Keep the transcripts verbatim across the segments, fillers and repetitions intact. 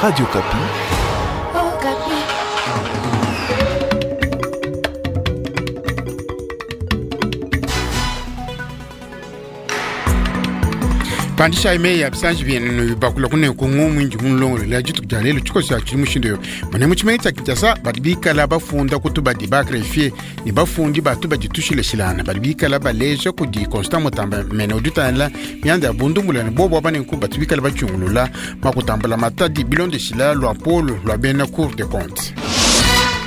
Radio Okapi. Okapi. Pandisha ime ya bisanji byenu bakula kune ku ng'omu mulongolo dituku dia lelo tshikoso ya tshili mushindu yo mane mu tshimenga tshia Kinshasa badi bikala bafunda kutu badi ba greffier ne bafundi batu badi tushilashilana badi bikala baleja kudi Constant Mutamba mene udi utangila mianda ya bundumbula ne bobo aba nenku batu bikala batshungulula makutambula matadi bilondeshila lua polo lua bena Cour des comptes.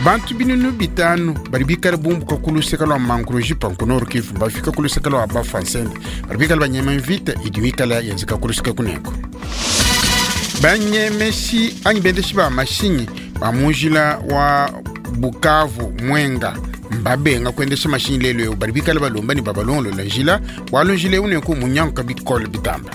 Bantu binunu bitanu badi bikala bumbuka ku luseka lua Mangurejipa ku Nord Kivu bafika ku luseka lua Bafansende badi bikala banyema mvita idi mikala yenzeka ku luseka kuneko. Banyemeshi anyi bendeshi ba mashinyi ba munjila wa Bukavu Mwenga mbabenga kuendesha mashinyi lelo eu badi bikala balomba ne babalongolola njila bualu njila eu nenku munyanguka bikole bitamba.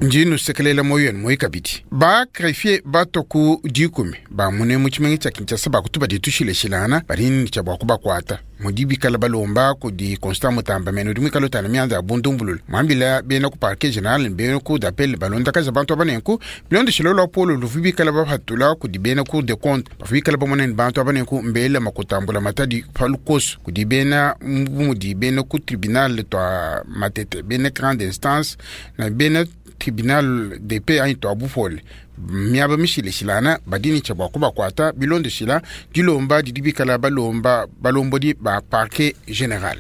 Ndi nusekelela moyo yenu moyi kabidi ba greffier bato ku dikumi ba mune mu tshimenga tshia Kinshasa bakutu badi tushileshilana badi ne tshia bua kubakuata mudi bikala balomba kudi Constant Mutamba mene udi muikale utala mianda ya bundumbulula mwambila bena ku parquet general ne bena cour d'appel balondakaja bantu aba nenku bilondeshilo lua polo luvu bikala bapatula kudi bena cour des comptes bavu bikala bamona ne bantu aba nenku mbele makutambula matadi pa lukoso kudi bena mudi bena ku tribunal tua Matete bena grande instance na bena tribunal de paix anyi tua bupole miaba mishileshilana badi ne tshia bua kubakuata bilondeshila dilomba didi bikala balomba balombodi ba parquet general.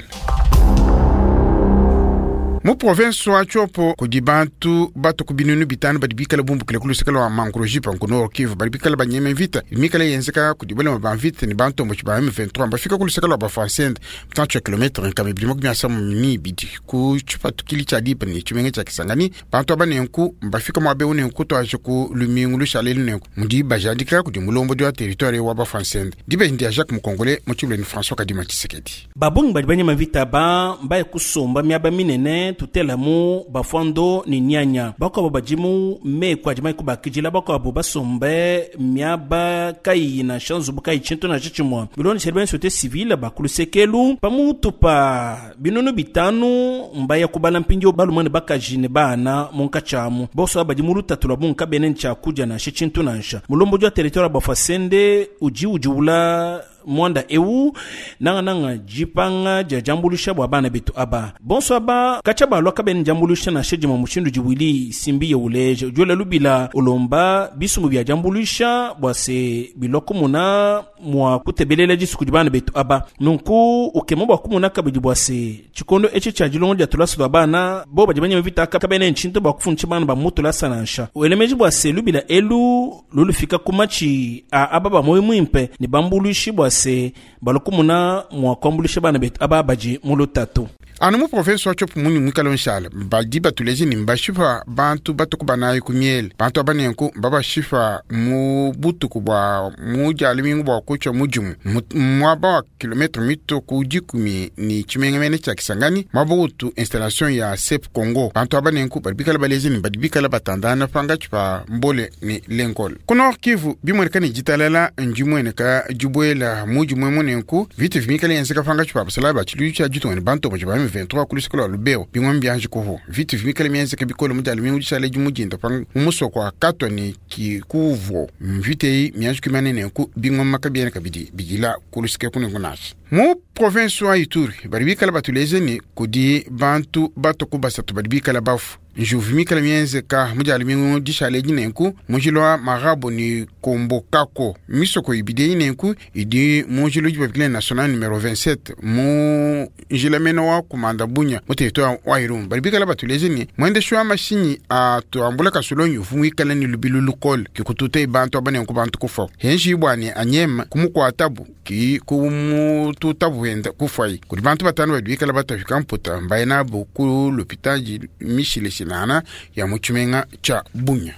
Mu province wa Tshopo kudi bantu bato ku binunu bitanu badi bikala bumbukile ku luseka lua Mangurejipa ku Nord Kivu badi bikala banyema mvita mikala yenzeka kudi balema ba mvita ne bantomboki ba M vingt-trois bafika ku luseka lua Bafansende mutantshi wa kilometre nkama ibidi makumi asanu ne ibidi ku tshipatukili tshia dipa ne tshimenga tshia Kisangani. Bantu aba nenku mbafika muaba eu nenku tuaje ku lumingu lushala elu nenku mudi bajadika kudi mulombodi wa territoire wa Bafansende dibeji ndia Jacques Mukongole mu tshibuleni François Kadima Tshisekedi. Babungi badi banyema mvita ba mbaye kusomba miaba minene tutelamu bafondo ni nyanya bakwabo badimu meku adi mai kubakidila bakwabo basombe miaba kayi na shanzubu kayi tshintu na tshitshimua bilondeshela bena société civile bakulusekelu pamutu pa binunu bitanu mbaya kubala mpindio balumane bakaji ne bana munkatshamu bonso aba badi mu lutatu lua bungi kabene ntshiakudia nansha tshintu nansha mulombodi wa territoire Bafasende udi udiwula mwanda eu nanga nanga jipanga ja jambulusha bwa bana betu aba bonso aba kacha balwa kabene jambulusha na sheji mwa mushindu jiwili simbi ya uleje jola lubila ulomba bisumu bya jambulusha bwa se biloko muna mwa kutebelela jisu bana betu aba nunku ukemo bwa kumuna kabidi bwa se chikondo echi cha jilongo ja tulasu lwa bana bo bajibanya vita kabene nchinto bwa kufuncha bana ba mutu lasa nansha uelemeji bwa se lubila elu lulufika kumachi a aba ba moyo mwimpe ni bambulushi bwa se balokumuna mwa kwambulisha bana betu aba baji mulutatu. Anu mu province wa Tshopo munyi mwikala nshala badi batuleje ni mbashipa bantu batuku banayi ku miele bantu aba nenku mbabashipa mu butuku bua mu dia lumingu bua kutshia mudimu muaba wa kilometre mito ku dikumi ni tshimengamene tshia Kisangani muaba utu installation ya S E P Congo bantu aba nenku badi bikala baleje ni badi bikala batandana pangatshi pa mbole ni lenkole. Ku Nord Kivu bimueneka ni ditalala ndimueneka dibuela mudimu emu nenku vita vimikala yenzeka pangatshi pa basalayi ba tshiluilu tshia ditunga ne bantu ba M vingt-trois ku luseka lua Lubero bimwe mbianji kuvu vita vimikala mienzeka bikole mu dia lumingu dishala dimudinda pa mu musoko wa Katwa ne Kikuvo mvita eyi mianji kuimana nenku bingoma kabiena kabidi bidila ku luseka kunenku nansha. Mu province wa Ituri badi bikala batuleje ni kudi bantu bato ku basatu badi bikala bafu njuvu mikala mienzeka mu dia lumingu dishala edi nenku munjila wa Marabo ni Kombokako misoko ibidi eyi nenku idi munjila udi babikila national numero vingt-sept mu njila mene wa kumanda Bunya mu territoire wa Irumu badi bikala batuleje ni mwendeshi wa mashinyi atuambula kasulonyi uvu muikala ni lubilu lukole kikututa bantu aba nenku bantu kufa henji bwani anyema kumukuatabu ki kumututabu wenda kufayi kudi bantu batanu badi bikala batafika mputa mbaye nabo ku lopitali mishileshilana ya mu tshimenga tshia Bunya.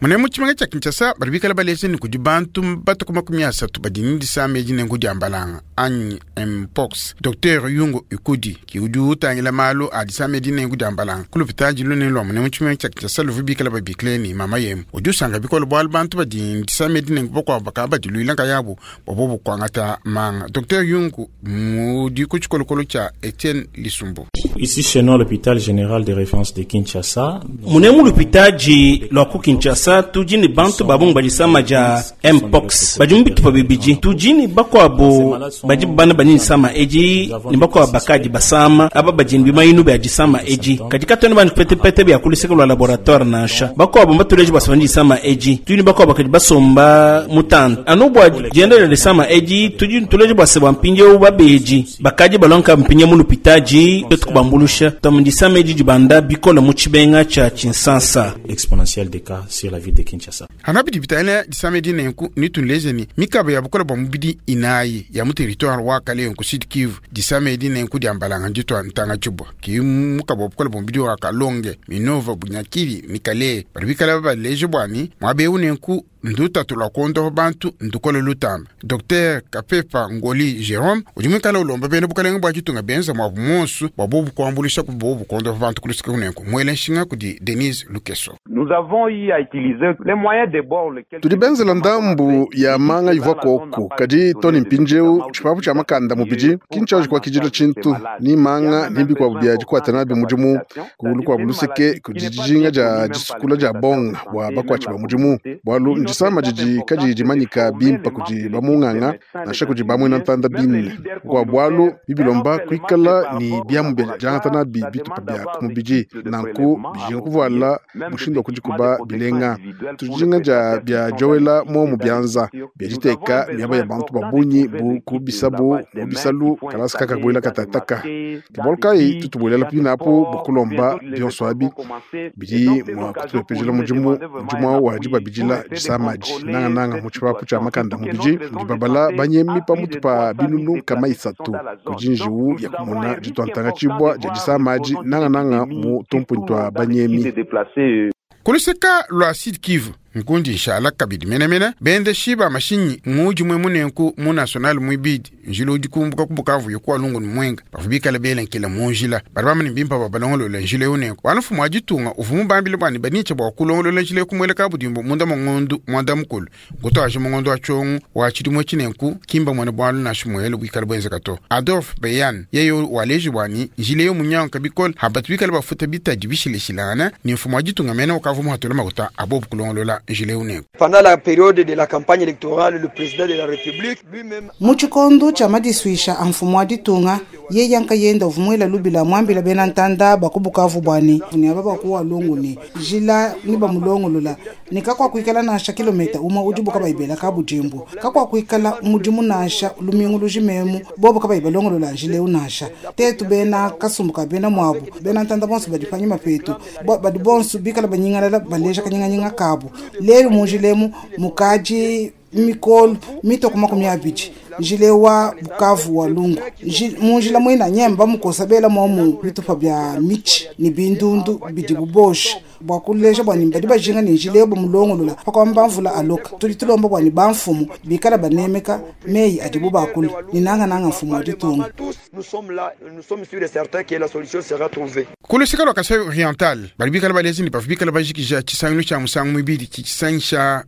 Mune mu tshimenga tshia Kinshasa badi bikala baleje ni kudi bantu batuku makumi asatu badi ni disama edi nenku dia mbalanga anyi mpox. Docteur Yungo Ikudi ki udi utangila malu a disama edi nenku dia mbalanga ku lopitali lunene lua mune mu tshimenga tshia Kinshasa luvu bikala babikile ni mama yemu udi usanga bikole bualu bantu badi ni disama edi nenku bakuabu bakaba badiluila nkayabu bua bobu kuangata manga. Docteur Yungu mudi ku tshikolokolo tshia Etienne Lisumbu. Ici chez nous à l'hôpital général de référence de Kinshasa. Munemu lupitaji lwa ku Kinshasa tudi bantu babungu badisama ja mpox badi mu bitupa bibidi tudi ne bakuabu badi bana bani sama edi ne bakuabu bakadi basama aba badi ne bimayinu bia disama edi kadi katwena bani petepete bia kuluseka lwa laboratoire nansha bakuabu mbatuleji basama disama edi tudi ne bakuabu bakadi basomba mutanda anu bua dienda dia disama edi tudi tuleji bua se bua mpindieu babedi bakadi balonka mpinye mu lupitaji twetu kubambulusha twamu disama edi dibanda bikola mu tshibenga tshia Tshinsansa. Exponentielle des cas sur la ville de Kinshasa. Hana bidi bitangila disama edi nenku nitunleje ni mikaba ya bukola bua mubidi inayi ya mu territoire wa Kalehe ku Sud Kivu disama edi nenku diambalanga nditwa ntanga tshibwa ki mukaba wa bukola bua mubidi wa Kalonge Minova Bunyakiri ni Kalehe badi bikala baleje bwani mwabeu nenku ndutatu lwa kuondopa bantu ndukola lutamba Docteur Kapepa Ngoli Jerome udi muikala ulomba bena bukalenge bua tshitunga benza mwabu monsu bua bobu kuambulisha ku bobu kuondopa bantu kulusika kunenku mwele nshinga kudi Denise Lukeso. Nous avons eu à utiliser les moyens de bord lesquels tudi benzela ndambu ya manga ivua koku kadi toni mpindieu tshipapu tshia makanda mubidi kintshaji kua kijila tshintu ni manga nimbi bia dikuata nabi mudimu kulu kua buluseke kudi dijinga dia disukula dia bonga bua bakuatshi ba mudimu bualu ndisama didi kadi dimanyika bimpa kudi bamunganga nansha kudi bamwena ntanda bine kua bualu bibilomba kuikala ni biamu bia diangata nabi bitupa bia ku mubidi nanku bijinga kuvuala mushindu wa kudikuba bilenga tujinga dia bia jowela momu bianza bia diteka miaba ya bantu babunyi bu kubisabu mu bisalu kalasi kaka buela katataka ke kai tutubuelela pinapo bukulomba bionso abi bidi mua kutupepejela mudimu mudimu wa dibabidila disamaji nangananga mu tshipapu tshia makanda mubidi mudi babala banyemi pamutu pa binunu kama isatu kudi njiwu ya kumona ditwantanga tshibwa dia disamaji nangananga mu tumpunyi twa banyemi. Kuluseka lwa Sud Kivu nkundi nshala kabidi menemene bende shiba mashinyi ng'udi mwe munenku mu national mwibidi njila udi kumbuka ku Bukavu yokuwa lungu ni mwenga bavu bikala belenkela mu njila badi bamane bimpa babalongolola njila eu nenku wala mfumu wa ditunga uvu mubambile bwani banitsha bua kulongolola njila eu kumueleka budimbu munda mongondu mwanda mukulu ngutwaje mongondu wa tshongu wa tshidimue tshinenku kimba mwene bwalu nashi muele bwikala bwenzeka to Adolphe Beyan yeye waleji bwani njila eu munyanka bikole habatu bikala bafuta bitadi bishileshilangana ni mfumu wa ditunga mene ukavu muhatula makuta abobu kulongolola. Pendant la période de la campagne électorale, le président de la République lui-même mu tshikondo tshia madisuisha a mfumu wa ditunga ye yanka yenda uvumuela lubila mwambila bena ntanda bakubukavu bwani ni aba bakuwa lungu ni jila ni bamulongolola ni kakwa kuikala nansha kilomita umwe udi buka bayibela ka budimbu kakwa kuikala mudimu nansha lumingu lujimemu bobo ka bayibalongolola njila eu nansha tetu bena kasumbuka bena mwabu bena ntanda bonso badi panyima petu badi bonso bikala banyingalala baleja kanyinganyinga kabu lelu munjilemu mukaji mikolo mitoko makumi abidi njile wa Bukavu wa lungu munjila mwina nyemba mukosa bela momu bitupa bya michi ni bindundu bidi bubosha bua kuleja bwani badi bajinga ni njila ebo mulongolola pakwamba mvula aloka tudi tulomba bwani bamfumu bikala banemeka meyi adibu bakula ni nanga nanga mfumu wa ditunga. Nous sommes là, nous sommes sûrs et certains que la solution sera trouvée. Kulusika lwa Kasai Oriental bali bikala balezi ni bavu bikala bajikija tshisangilu tshia musangu mwibidi tshisangisha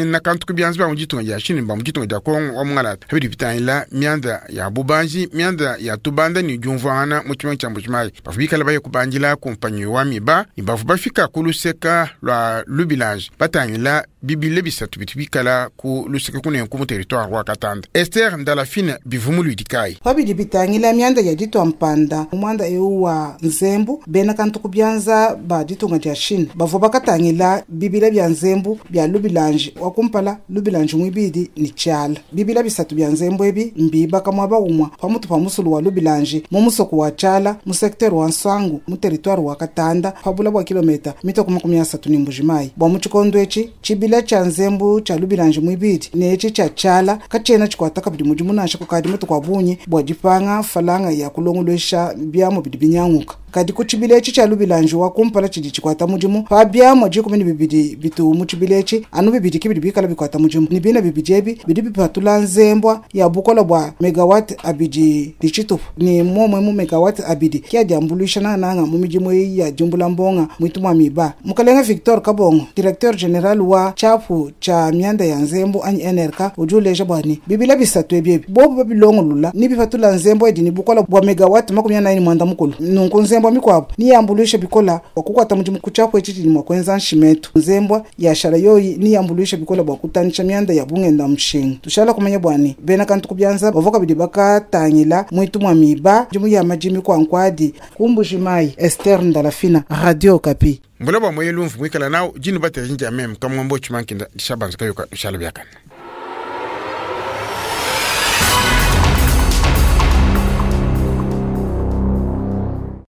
na kantu kubianza bia mu ditunga dia Chine ba mu ditunga dia Kongo wa mungalata habidi bitangila mianda ya bubanji mianda ya tubanda ni diumvuangana mu tshimenga tshia Mbujimayi bavu bikala baye kubandila kumpanyi wa miba ni bavu bafika kuluseka lwa Lubilange batangila bibile bisatu bitu bikala ku luseka kunenku mu territoire wa Katanda. Esther Ndalafine bivumu ludikai pabidi bitangila mianda ya ditwa mpanda mwanda eu wa nzembu bena kantu kubyanza ba ditunga dia Chine bavua bakatangila bibila bya nzembu bya Lubilange wa kumpala Lubilange mwibidi ni tshiala bibila bisatu bya nzembu ebi mbibaka mwaba umwa pamutu pa musulu wa Lubilange mu musoko wa tshiala mu secteur wa Nswangu mu territoire wa Katanda pabula bwa kilomita mitoko makumi asatu ni Mbujimayi bwa mu tshikondo etshi tshibila tshia nzembu tshia Lubilange mwibidi ne etshi tshia tshiala katshiena tshikwata kabidi mudimu nansha kukadi mutu kwa bunyi bwa dipanga falanga ya kulongolwesha biamu bidi binyanguka Kadi ku tshibila etshi tshia lubilanji wa kumpala tshidi tshikwata mudimu pa biamua dikumi ne bibidi bitu mu tshibila etshi anu bibidi ke bidi bikala bikwata mudimu ne bina bibidi ebi bidi bipatula nzembwa ya bukola bua megawatt abidi ne tshitupa ne momwe mu megawatt abidi ke adi ambuluisha nangananga mu midimu eyi ya diumbula mbonga mwitu mwa miba. Mukalenga Victor Kabongo, directeur general wa tshiapu tshia mianda ya nzembu anyi N R K, udi uleja bua ne bibila bisatu ebi ebi bobu babilongolola ne bipatula nzembu edi ne bukola bua megawatt makumi anayi ne mwanda mukulu. Nunku nzembu mikuabu niyambuluisha bikola bua kukwata mudimu ku tshiapu etshi tshidi mua kuenza nshimetu. Nzembu ya shala yoyi niyambuluisha bikola bua kutanisha mianda ya bungenda mushinga. Tushala kumanya bua ne bena kantu ku bianza bavua kabidi bakatangila mwitu mwa miba dimu ya madimi kwa nkwadi kumbuji mai. Esther Ndalafina, Radio Okapi. Mbula bwa moyelu mvu mwikala nawo jinu batela jinja meme kamwambo chimankinda dishabanza kayoka shala byakana.